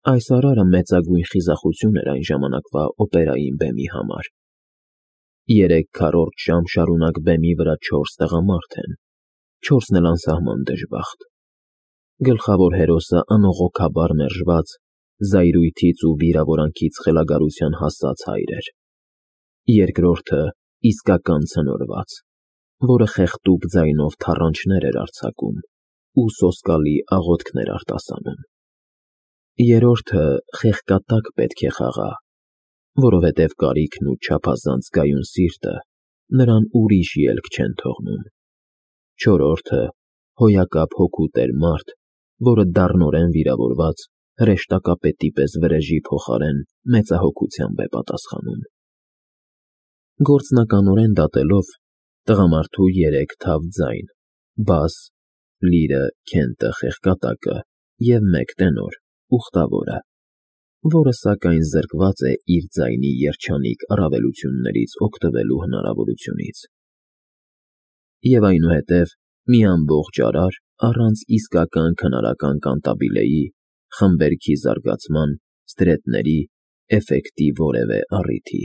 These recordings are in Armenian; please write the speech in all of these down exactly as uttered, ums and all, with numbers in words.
Այս արարը մեծագույն խիզախություն էր այն ժամանակվա օպերային բեմի համար. երեք քառորդ ժամ շարունակ բեմի վրա չորս տղամարդ են, չորսն էլ անսահման դժբախտ. գլխավոր հերոսը անողոքաբար մերժված, զայրույթից ու վիրավորանքից խելագարության հասած հայր էր, երկրորդը իսկական ցնորված, որը խեղդուկ ձայնով թառանչներ էր արձակում ու սոսկալի աղոթքներ արտասանում, երրորդը խեղկատակ պետք է խաղա, որովհետև կարիքն ու չափազանց գայուն սիրտը նրան ուրիշ ելք չեն թողնում, չորրորդը հոյակապ հոգու տեր մարդ, որը դառնորեն վիրավորված հրեշտակապետի պես վրեժի փոխարեն մեծահոգությամբ է պատասխանում։ Գործնականորեն դատելով, տղամարդու երեք թավ ձայն՝ բաս, լիրը, քենթը, խեղկատակը և մեկ տենոր՝ ուխտավորը, որը սակայն զրկված է իր ձայնի երջանիկ առավելություններից օգտվելու հնարավորությունից։ Եվ այնուհետև մի ամբողջ արար առանց իսկական քնարական կանտաբիլեի, խմբերքի զարգացման, ստրեթների, էֆեկտի որևէ առիթի։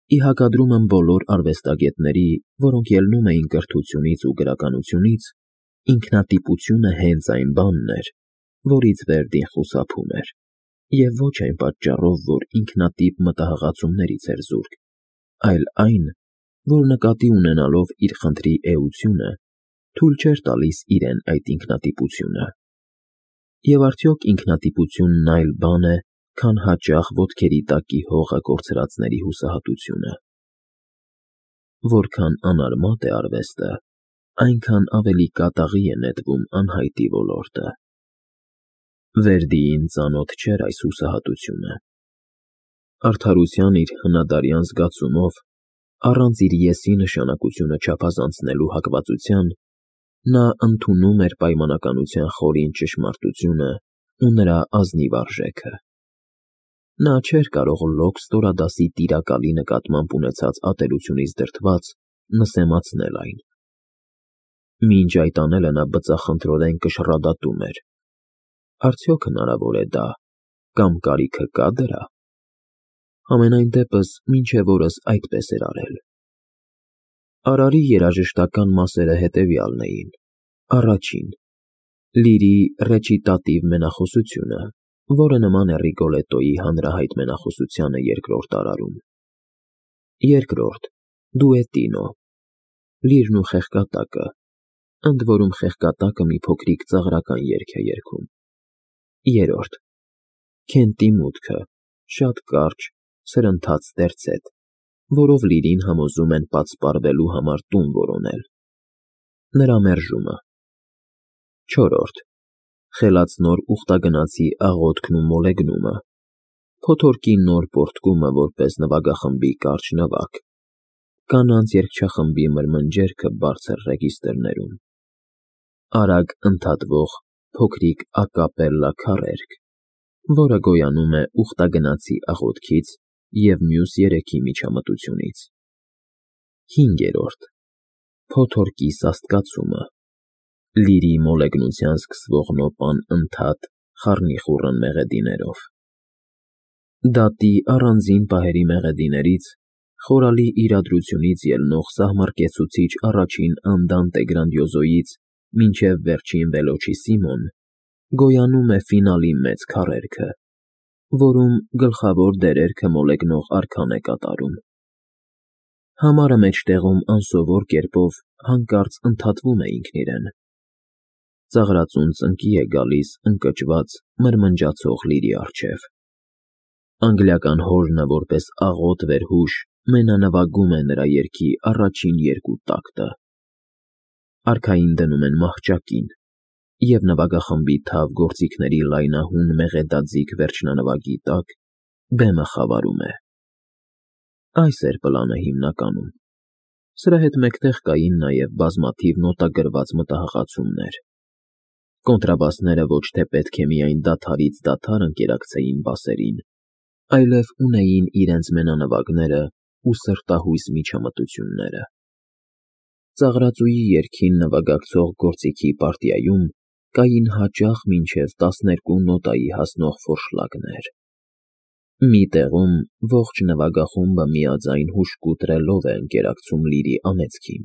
Ի հակադրումն բոլոր արվեստագետների, որոնք ելնում էին կրթությունից ու գրականությունից, ինքնատիպությունը հենց այն բանն էր, որից Վերդին խուսափում էր, և ոչ այն պատճառով, որ ինքնատիպ մտահղացումներից էր զուրկ, այլ այն, որ նկատի ունենալով իր խնդրի էությունը, թույլ չէր տալիս իրեն այդ ինքնատիպությունը։ Եվ արդյոք ինքնատիպությունն այլ բան է, քան հաճախ ոտքերի տակի հողը կորցրածների հուսահատությունը։ Որքան անարմատ է արվեստը, այնքան ավելի կատաղի է նետվում անհայտի ոլորտը։ Վերդիին ծանոթ չէր այս հուսահատությունը։ Արդարության իր հնադարյան զգացումով, առանց իր եսի նշանակությունը չափազանցնելու հակվածության, նա ընդունում էր պայմանականության խորին ճշմարտությունը ու նրա ազնիվ արժեքը։ Նա չէր կարող լոկ ստորադասի տիրակալի նկատմամբ ունեցած ատելությունից դրդված նսեմացնել այն։ Մինչ այդ անելը նա բծախնդրորեն կշռադատում էր. արդյոք հնարավոր է դա, կամ կարիքը կա դրա։ Համենայն դեպս մինչև օրս այդպես էր արել։ Արարի երաժշտական մասերը հետևյալն էին. առաջին՝ լիրի ռեչիտատիվ մենախոսությունը, որը նման է Ռիգոլետոյի հանրահայտ մենախոսությանը երկրորդ արարում, երկրորդ՝ դուետինո, լիրն ու խեղկատակը, ընդ որում խեղկատակը մի փոքրիկ ծաղրական երգ է երգում, երրորդ՝ քենթի մուտքը, շատ կարճ, սրընթաց տերցետ, որով լիրին համոզում են պատսպարվելու համար տուն որոնել, նրա մերժումը, չորրորդ՝ խելացնոր ուխտագնացի աղոթքն ու մոլեգնումը, փոթորկի նոր պոռթկումը որպես նվագախմբի կարճ նվագ, կանանց երգչախմբի մրմնջերքը բարձր ռեգիստրներում, արագ ընդհատվող փոքրիկ ակապելլա քառերգ, որը գոյանում է ուխտագնացի աղոթքից և մյուս երեքի միջամտությունից, հինգերորդ՝ փոթորկի սաստկացումը, լիրի մոլեգնության սկսվող նոպան ընդհատ, խառնիխուռն մեղեդիներով։ Դատի առանձին պահերի մեղեդիներից, խորալի իրադրությունից ելնող սահմռկեցուցիչ առաջին անդանտե գրանդիոզոյից մինչև վերջին վելոչիսիմոն, գոյանում է ֆինալի մեծ քառերգը, որում գլխավոր դերերքը մոլեգնող արքան է կատարում։ Համարը մեջտեղում անսովոր կերպով հանկարծ ընդհատվում է ինքն իրեն։ Ծաղրածուն ծնկի է գալիս ընկճված, մրմնջացող լիրի առջև։ Անգլիական հորնը որպես աղոտ վերհուշ մենանվագում է նրա երգի առաջին երկու տակտը։ Արքային դնում են մահճակին, և նվագախմբի թավ գործիքների լայնահուն մեղեդաձիգ վերջնանվագի տակ բեմը խավարում է։ Այս էր պլանը հիմնականում։ Սրա հետ մեկտեղ կային նաև բազմաթիվ նոտագրված մտահղացումներ։ Կոնտրաբասները ոչ թե պետք է միայն դադարից դադար ընկերակցեին բասերին, այլև ունեին իրենց մենանվագները ու սրտահույս միջամտությունները։ Ծաղրածուի երգին նվագակցող գործիքի պարտիայում կային հաճախ մինչև տասներկու նոտայի հասնող ֆորշլակներ։ Մի տեղում ողջ նվագախումբը միաձայն հուժկու տրելով է ընկերակցում լիրի անեծքին։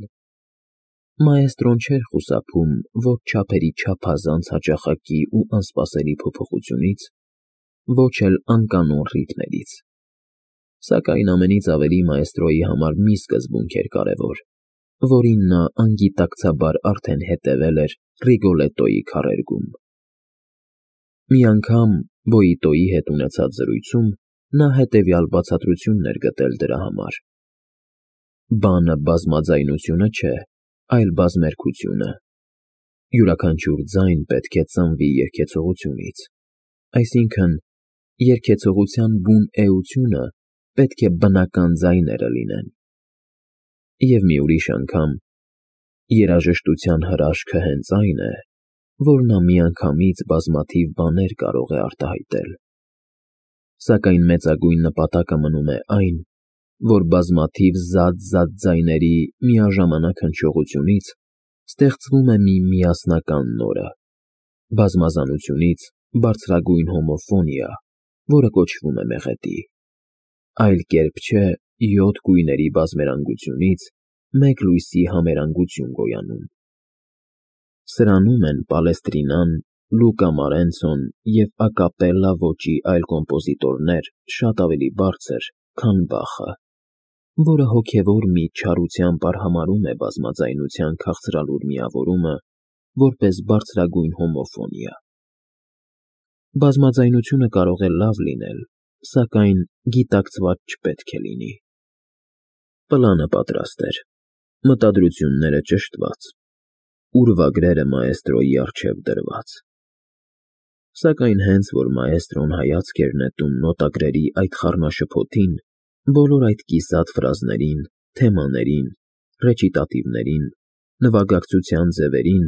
Մաեստրոն չէր խուսափում ոչ չափերի չափազանց հաճախակի ու անսպասելի փոփոխությունից, ոչ էլ անկանոն ռիթմերից։ Սակայն ամենից ավելի մաեստրոյի համար մի սկզբունք էր կարևոր, որին նա անգիտակցաբար արդեն հետևել էր Ռիգոլետոյի քառերգում։ Մի անգամ Բոյիտոյի հետ ունեցած զրույցում նա հետևյալ բացատրությունն էր գտել դրա համար. «Բանը բազմաձայնությունը չէ, այլ բազմերգությունը։ Յուրաքանչյուր ձայն պետք է ծնվի երգեցողությունից, այսինքն՝ երգեցողության բուն էությունը պետք է բնական ձայները լինեն»։ Եվ մի ուրիշ անգամ. «Երաժշտության հրաշքը հենց այն է, որ նա միանգամից բազմաթիվ բաներ կարող է արտահայտել։ Սակայն մեծագույն նպատակը մնում է այն, որ բազմաթիվ զատ-զատ ձայների միաժամանակ հնչողությունից ստեղծվում է մի միասնական նորը, բազմազանությունից բարձրագույն հոմոֆոնիա, որը կոչվում է մեղեդի։ Այլ կերպ չէ յոթ գույների բազմերանգությունից մեկ լույսի համերանգություն գոյանում»։ Սրանում են Պալեստրինան, Լուկա Մարենցոն և ակապելլա ոճի այլ կոմպոզիտորներ շատ ավելի բարձր, քան Բախը, որը հոգևոր մի չարությամբ արհամարհում է բազմաձայնության քաղցրալուր միավորումը որպես բարձրագույն հոմոֆոնիա։ Բազմաձայնությունը կարող է լավ լինել, սակայն գիտակցված չպետք է լինի։ Պլանը պատրաստ էր, մտադրությունները ճշտված, ուրվագրերը մաեստրոյի առջև դրված։ Սակայն հենց որ մաեստրոն հայացք էր նետում նոտագրերի այդ խառնաշփոթին, բոլոր այդ կիսատ ֆրազներին, թեմաներին, ռեչիտատիվներին, նվագակցության ձևերին,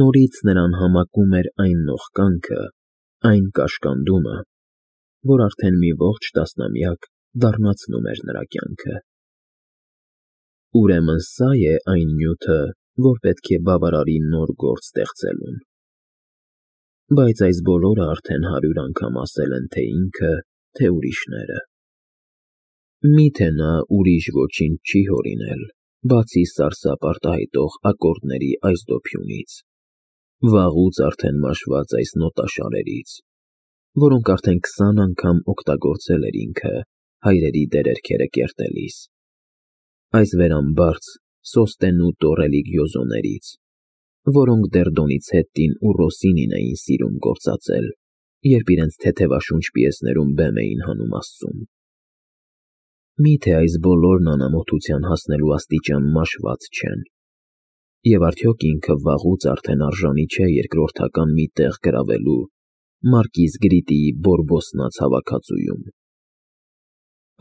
նորից նրան համակում էր այն նողկանքը, այն կաշկանդումը, որ արդեն մի ողջ տասնամյակ դառնացնում էր նրա կյանքը։ Ուրեմն սա է այն նյութը, որ պետք է բավարարի նոր գործ ստեղծելուն։ Բայց այս բոլորը արդեն հարյուր անգամ ասել են թե ինքը, թե ուրիշները։ Մի՞թե նա ուրիշ ոչինչ չի հորինել, բացի սարսափ արտահայտող ակորդների այս դոփյունից, վաղուց արդեն մաշված այս նոտաշարերից, որոնք արդեն քսան անգամ օգտագործել էր ինքը հայրերի դերերքերը կերտելիս, այս վերամբարձ սոստենուտո ռելիգիոզոներից, որոնք դեռ Դոնիցետտին ու Ռոսինին էին սիրում գործածել, երբ իրենց թեթևաշունչ պիեսներում բեմ էին հանում Աստծուն։ Մի՞թե այս բոլորն անամոթության հասնելու աստիճան մաշված չեն, և արդյոք ինքը վաղուց արդեն արժանի չէ երկրորդական մի տեղ գրավելու մարկիզ Գրիտիի բորբոսնած հավաքածուում։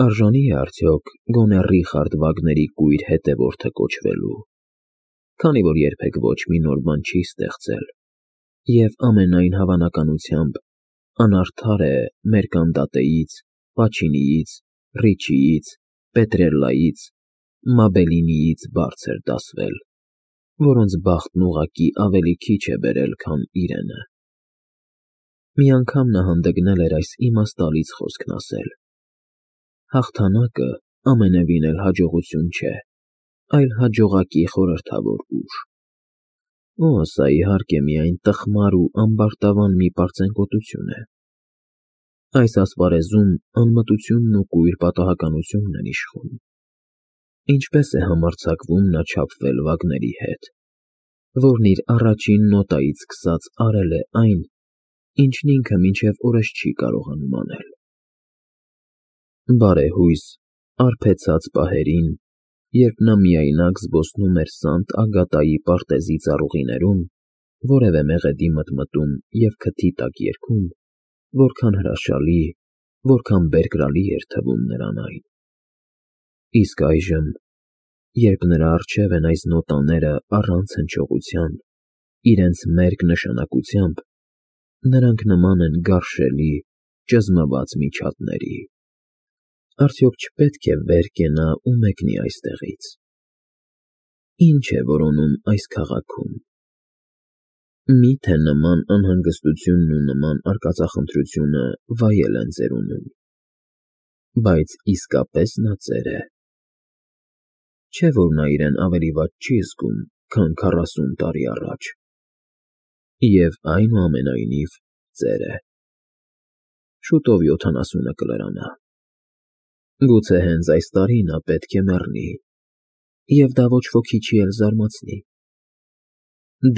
Արժանի՞ է արդյոք գոնե Ռիխարդ Վագների կույր հետևորդը կոչվելու, քանի որ երբեք ոչ մի նոր բան չի ստեղծել, և ամենայն հավանականությամբ անարդար է Մերկանդատեից, Պաչինիից, Ռիչիից, Պետրելլայից, Մաբելինիից բարձր դասվել, որոնց բախտն ուղղակի ավելի քիչ է բերել, քան իրենը։ Մի անգամ նա հանդգնել էր այս իմաստալից խոսքն ասել. «Հաղթանակը ամենևին էլ հաջողություն չէ, այլ հաջողակի խորհրդավոր ուժ»։ Օ, սա իհարկե միայն տխմար ու ամբարտավան մի պարծենկոտություն է։ Այս ասպարեզում անմտությունն ու կույր պատահականությունն են իշխում։ Ինչպե՞ս է համարձակվում նա չափվել Վագների հետ, որն իր առաջին նոտայից սկսած արել է այն, ինչն ինքը մինչև օրս չի կարողանում անել։ Բարեհույս, արբեցած պահերին, երբ նա միայնակ զբոսնում էր Սանտ Ագատայի պարտեզի ծառուղիներում, որևէ մեղեդի մտմտում և քթի տակ երգում, որքան հրաշալի, որքան բերկրալի էր թվում նրան այն։ Իսկ այժմ, երբ նրա առջև են այս նոտաները առանց հնչողության, իրենց մերկ նշանակությամբ, նրանք նման են գարշելի, ճզմված միջատների։ Արդյոք չպետք է վեր կենա ու մեկնի այստեղից։ Ի՞նչ է որոնում այս քաղաքում։ Մի՞թե նման անհանգստությունն ու նման արկածախնդրությունը վայել են ծերունում, բայց իսկապես նա ծեր է, չէ՞ որ նա իրեն ավելի վատ չի զգում, քան քառասուն տարի առաջ, և այնուամենայնիվ ծեր է. շուտով յոթանասունը կլրանա, գուցե հենց այս տարի նա պետք է մեռնի, և դա ոչ ոքի չի էլ զարմացնի.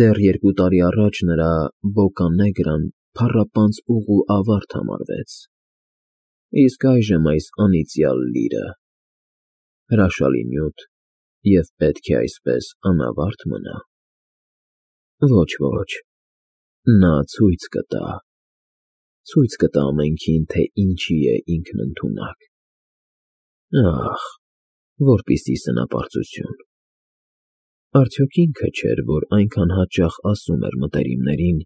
դեռ երկու տարի առաջ նրա Բոկա Նեգրան փառապանծ ուղու ավարտ համարվեց, իսկ այժմ այս անիծյալ լիրը… հրաշալի նյութ, և պետք է այսպես անավարտ մնա… Ոչ, ոչ, նա ցույց կտա, ցույց կտա ամենքին, թե ինչի է ինքն ընդունակ… Ահ, որպիսի սնապարծություն… Արդյոք ինքը չէր, որ այնքան հաճախ ասում էր մտերիմներին,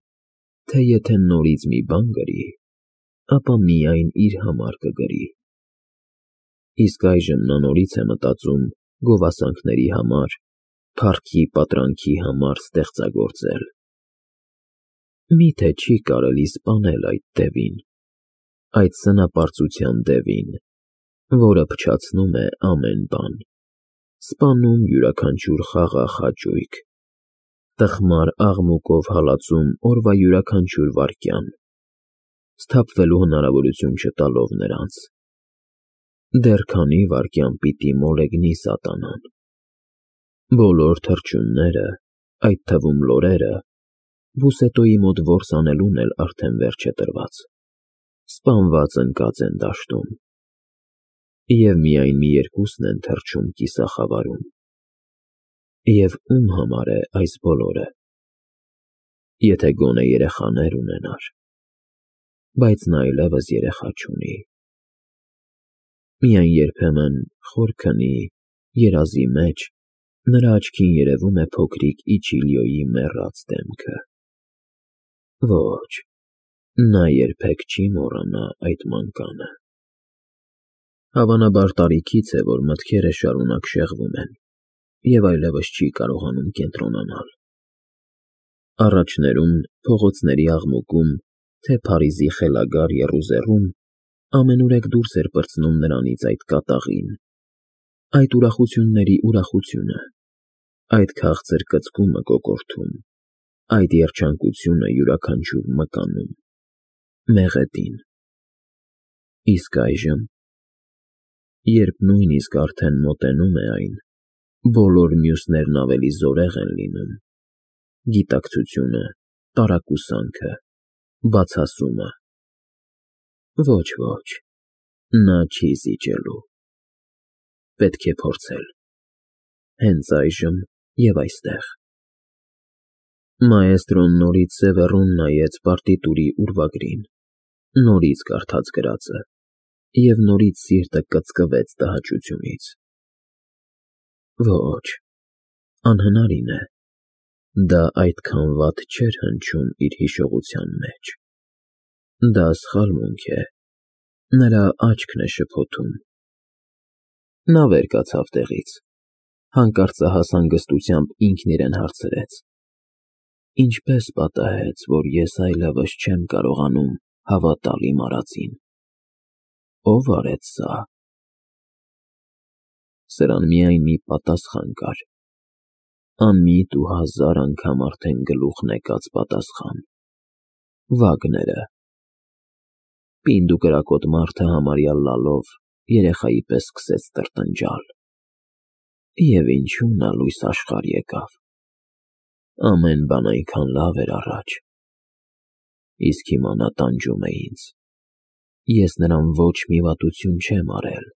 թե եթե նորից մի բան գրի, ապա միայն իր համար կգրի… Իսկ այժմ նա նորից է մտածում գովասանքների համար, փառքի պատրանքի համար ստեղծագործել… Մի՞թե չի կարելի սպանել այդ դևին, այդ սնապարծության դևին, որը փչացնում է ամեն բան, սպանում յուրաքանչյուր խաղաղ հաճույք, տխմար աղմուկով հալածում օրվա յուրաքանչյուր վայրկյան, սթափվելու հնարավորություն չտալով նրանց… Դեռ քանի՞ վայրկյան պիտի մոլեգնի սատանան… Բոլոր թռչունները, այդ թվում լորերը, Բուսետոյի մոտ որս անելուն էլ արդեն վերջ է տրված, սպանված ընկած են դաշտում… Եվ միայն մի երկուսն են թռչում կիսախավարում… Եվ ո՞ւմ համար է այս բոլորը… Եթե գոնե երեխաներ ունենար… Բայց նա այլևս երեխա չունի… Միայն երբեմն խոր քնի, երազի մեջ նրա աչքին երևում է փոքրիկ Իչիլիոյի մեռած դեմքը… Ոչ, նա երբեք չի մոռանա այդ մանկանը… Հավանաբար տարիքից է, որ մտքերը շարունակ շեղվում են և այլևս չի կարողանում կենտրոնանալ… Առաջներում, փողոցների աղմուկում, թե Փարիզի խելագար եռուզեռում ամենուրեք դուրս էր պրծնում նրանից այդ կատաղին, այդ ուրախությունների ուրախությունը, այդ քաղցր կծկումը կոկորդում, այդ երջանկությունը յուրաքանչյուր մկանում, մեղեդին… Իսկ այժմ… Երբ նույնիսկ արդեն մոտենում է այն, բոլոր մյուսներն ավելի զորեղ են լինում, գիտակցությունը, տարակուսանքը, բացասումը… Ոչ, ոչ, նա չի զիջելու… Պետք է փորձել… Հենց այժմ և այստեղ… Մաեստրոն նորից սևեռուն նայեց պարտիտուրի ուրվագրին, նորից կարդաց գրածը, և նորից սիրտը կծկվեց տհաճությունից… Ոչ, անհնարին է… Դա այդքան վատ չէր հնչում իր հիշողության մեջ… Դա սխալմունք է… Նրա աչքն է շփոթում… Նա վեր կացավ տեղից, հանկարծահաս հանգստությամբ ինքն իրեն հարցրեց. ինչպե՞ս պատահեց, որ ես այլևս չեմ կարողանում հավատալ իմ արածին… Ո՞վ արեց սա… Սրան միայն մի պատասխան կար… Անմիտ ու հազար անգամ արդեն գլուխն եկած պատասխան… Վագները… Պինդ ու կրակոտ մարդը համարյա լալով երեխայի պես սկսեց տրտնջալ… Եվ ինչու նա լույս աշխարհ եկավ… Ամեն բան այնքան լավ էր առաջ… Իսկ հիմա նա տանջում է ինձ… Ես նրան ոչ մի վատություն չեմ արել…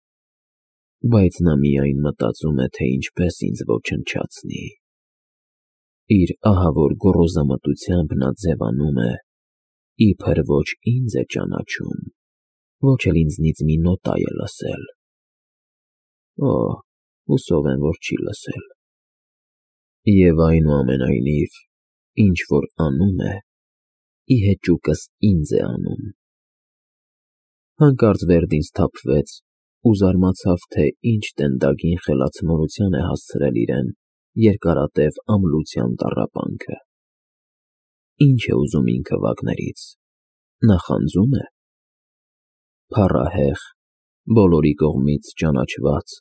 Բայց նա միայն մտածում է, թե ինչպես ինձ ոչնչացնի… Իր ահավոր գոռոզամտությամբ նա ձևանում է, իբր ոչ ինձ է ճանաչում, ոչ էլ ինձնից մի նոտա է լսել… Օ, հուսով եմ, որ չի լսել… Եվ այնուամենայնիվ, ինչ որ անում է, ի հեճուկս ինձ է անում… Հանկարծ Վերդին սթափվեց ու զարմացավ, թե ինչ տենդագին խելացնորության է հասցրել իրեն երկարատև ամլության տառապանքը… Ինչ է ուզում ինքը Վագներից, նախանձում է, փառահեղ, բոլորի կողմից ճանաչված,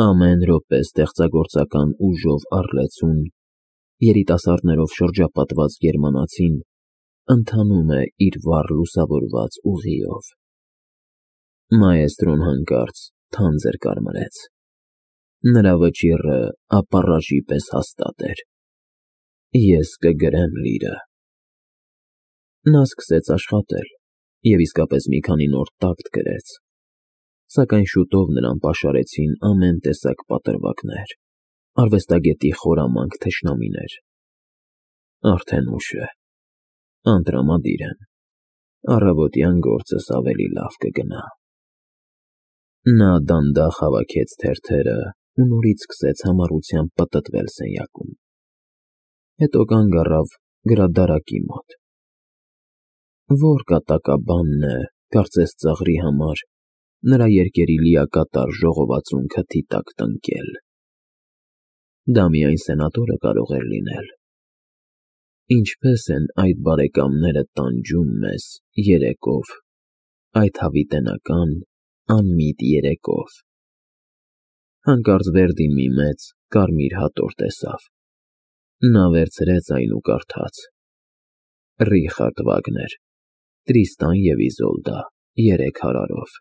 ամեն րոպե ստեղծագործական ուժով առլեցուն, երիտասարդներով շրջապատված գերմանացին ընթանում է իր վառ լուսավորված ուղիով։ Մաեստրոն հանկարծ թանձր կարմրեց, նրա վճիռը ապառաժի պես հաստատ էր։ Ես կգրեմ լիրը։ Նա սկսեց աշխատել և իսկապես մի քանի նոր տակտ գրեց, սակայն շուտով նրան պաշարեցին ամեն տեսակ պատրվակներ, արվեստագետի խորամանկ թշնամիներ։ Արդեն ուշ է, անտրամադիր եմ, առավոտյան գործս ավելի լավ կգնա։ Նա դանդաղ հավաքեց թերթերը ու նորից սկսեց համառությամբ պտտվել սենյակում, հետո կանգ առավ գրադարակի մոտ։ Որ կատակաբանն է, կարծես ծաղրի համար, նրա երգերի լիակատար ժողովածուն քթի տակ տնկել։ Դա միայն սենատորը կարող էր լինել։ Ինչպե՞ս են այդ բարեկամները տանջում մեզ երեկով, այդ հավիտենական, անմիտ երեկով։ Հանկարծ Վերդին մի մեծ, կարմիր հատոր տեսավ։ Նա վերցրեց այն ու կարդաց. Ռիխարդ Վագներ, Տրիստան և Իզոլդա, երեք հարարով։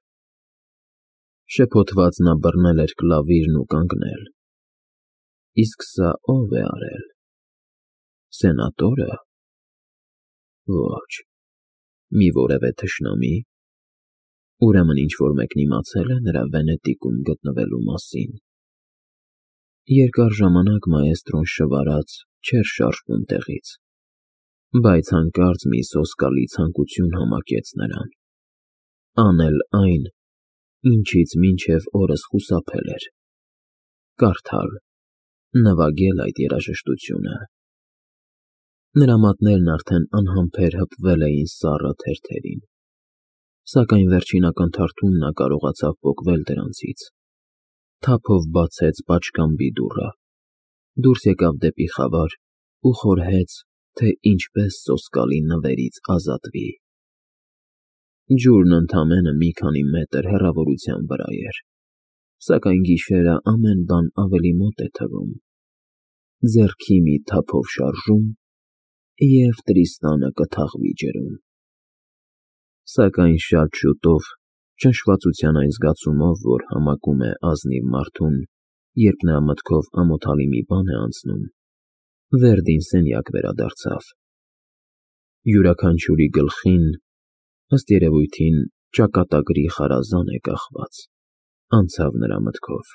Շփոթված նա բռնել էր կլավիրն ու կանգնել։ Իսկ սա ո՞վ է արել։ Սենատո՞րը։ Ոչ, մի որևէ թշնամի։ Ուրեմն ինչ-որ մեկն իմացել է նրա Վենետիկում գտնվելու մասին։ Երկար ժամանակ մաեստրոն շվարած չէր շարժվում տեղից, բայց հանկարծ մի սոսկալի ցանկություն համակեց նրան, անել այն, ինչից մինչև օրս խուսափել էր, կարդալ, նվագել այդ երաժշտությունը։ Նրա մատներն արդեն անհամբեր հպվել էին սառը թերթերին, սակայն վերջինական թարթում նա կարողացավ պոկվել դրանցից, թափով բացեց պատշգամբի դուռը, դուրս եկավ դեպի խավար ու խորհեց, թե ինչպես սոսկալի նվերից ազատվի։ Ջուրն ընդամենը մի քանի մետր հեռավորության վրա էր, սակայն գիշերը ամեն բան ավելի մոտ է թվում։ Ձեռքի մի թափով շարժում, և Տրիստանը կթաղվի ջրում։ Սակայն շատ շուտով, շնչվածության այն զգացումով, որ համակում է ազնիվ մարդուն, երբ նրա մտքով ամոթալի մի բան է անցնում, Վերդին սենյակ վերադարձավ։ Յուրաքանչյուրի գլխին, ըստ երևույթին, ճակատագրի խարազան է կախված, անցավ նրա մտքով։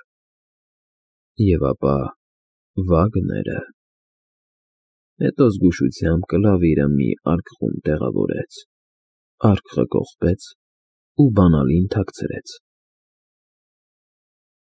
Եվ ապա Վագները… Հետո զգուշությամբ կլավիրը մի արկղում տեղավորեց, արկղը կողպեց ու բանալին թաքցրեց։